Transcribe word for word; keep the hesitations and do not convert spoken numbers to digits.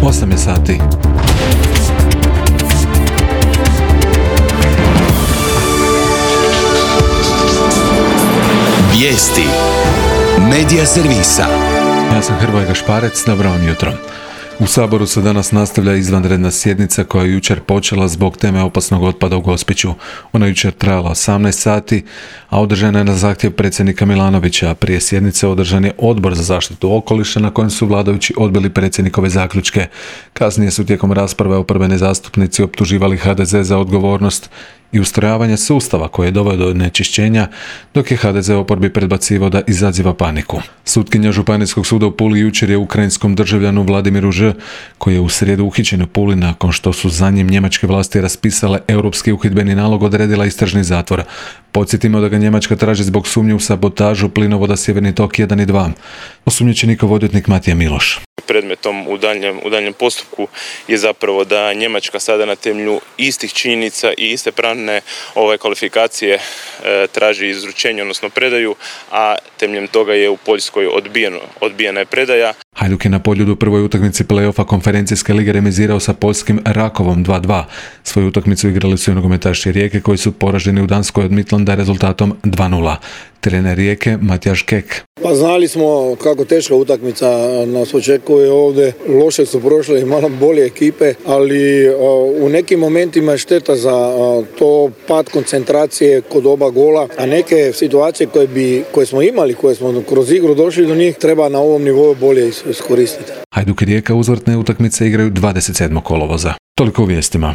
osam je sati. Vijesti Medija servisa. Ja sam Hrvoje Gašparec, dobro vam jutro. U Saboru se danas nastavlja izvanredna sjednica koja je jučer počela zbog teme opasnog otpada u Gospiću. Ona je jučer trajala osamnaest sati, a održana je na zahtjev predsjednika Milanovića. Prije sjednice održan je Odbor za zaštitu okoliša na kojem su vladajući odbili predsjednikove zaključke. Kasnije su tijekom rasprave oporbeni zastupnici optuživali ha de ze za odgovornost i ustrojavanje sustava koji je doveo do onečišćenja, dok je ha de ze oporbi predbacivao da izaziva paniku. Sutkinja Županijskog suda u Puli jučer je ukrajinskom državljanu Vladimiru Ž, koji je u srijedu uhićen u Puli nakon što su za njim njemačke vlasti raspisale europski uhidbeni nalog, odredila istražni zatvor. Podsjetimo da ga Njemačka traži zbog sumnje u sabotažu plinovoda Sjeverni tok jedan i dva. Osumnjičenikov odvjetnik Matija Miloš. Predmetom u daljnjem, u daljnjem postupku je zapravo da Njemačka sada na temelju istih činjenica i iste pravne ove kvalifikacije e, traži izručenje, odnosno predaju, a temeljem toga je u Poljskoj odbijeno, odbijena je predaja. Hajduk je na Poljudu u prvoj utakmici play-offa konferencijske lige remizirao sa poljskim Rakovom dva dva. Svoju utakmicu igrali su i nogometaši Rijeke koji su poraženi u Danskoj od Midlanda rezultatom dva nula. Trener Rijeke Matjaž Kek. Pa znali smo kako teška utakmica nas očekuje ovdje. Loše su prošle i malo bolje ekipe, ali u nekim momentima je šteta za to pad koncentracije kod oba gola, a neke situacije koje, bi, koje smo imali, koje smo kroz igru došli do njih, treba na ovom nivou bolje iskoristiti. Hajduk i Rijeka uzvratne utakmice igraju dvadeset sedmog kolovoza. Toliko u vijestima.